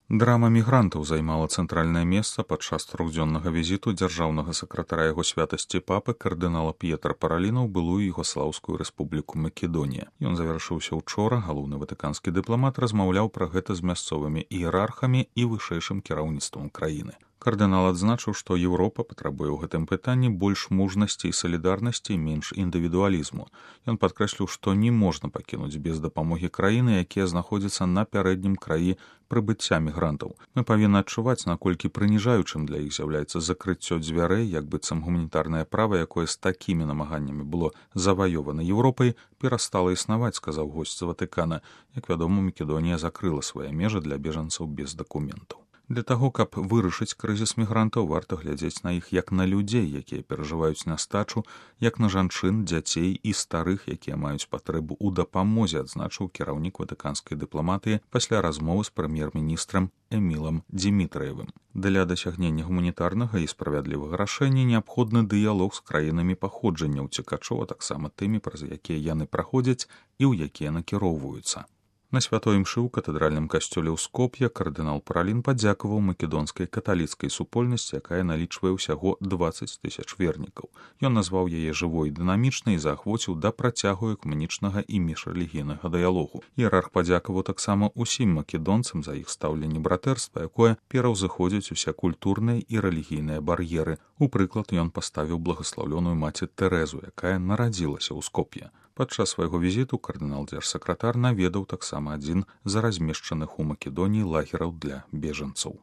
Драма мігрантаў займала цэнтральнае месца падчас трохдзённага візіту дзяржаўнага сакратара яго святасці папы кардынала П'етра Параліна ў былую Югослаўскую рэспубліку Македонія. Ён завяршыўся учора. Галоўны ватыканскі дыпламат размаўляў пра гэта з мясцовымі іерархамі і вышэйшым кіраўніцтвам краіны. Кардынал адзначыў, што Еўропа патрабуе ў гэтым пытанні больш мужнасці і салідарнасці і менш індывідуалізму. Ён падкрэсліў, што не можна пакінуць без дапамогі краіны, якія знаходзяцца на пярэднім краі прыбыцця мігрантаў. Мы павінны адчуваць, наколькі прыніжаючым для іх з'яўляецца закрыццё дзвярэй, як быццам гуманітарнае права, якое з такімі намаганнямі было заваёвана Еўропай, перастала існаваць, сказаў госць з Ватыкана. Як вядома, Македонія закрыла свае межы для бежанцаў без дакументаў. Для таго, каб вырашыць крызіс мігрантаў, варта глядзець на іх як на людзей, якія перажываюць нястачу, як на жанчын, дзяцей і старых, якія маюць патрэбу ў дапамозе, адзначыў кіраўнік ватыканскай дыпламатыі пасля размовы з прэм'ер-міністрам Эмілам Дзімітрыевым. Для дасягнення гуманітарнага і справядлівага рашэння неабходны дыялог з краінамі паходжання ўцекачоў, а таксама тымі, праз якія яны праходзяць і ў якія накіроўваюцца. На святой імшы ў катэдральным касцёле ў Скоп'е кардынал Паралін падзякаваў македонскай каталіцкай супольнасці, якая налічвае ўсяго 20 000 вернікаў. Ён назваў яе жывой і дынамічнай і заахвоціў да працягу экумэнічнага і міжрэлігійнага дыялогу. Іерарх падзякаваў таксама ўсім македонцам за іх стаўленне братэрства, якое пераўзыходзіць усе культурныя і рэлігійныя бар'еры. У прыклад ён паставіў благаслаўлёную маці Тэрэзу, якая нарадзілася ў Скоп'е. Падчас свайго візіту кардынал-дзяржсакратар наведаў таксама адзін з размешчаных у Македоніі лагераў для бежанцаў.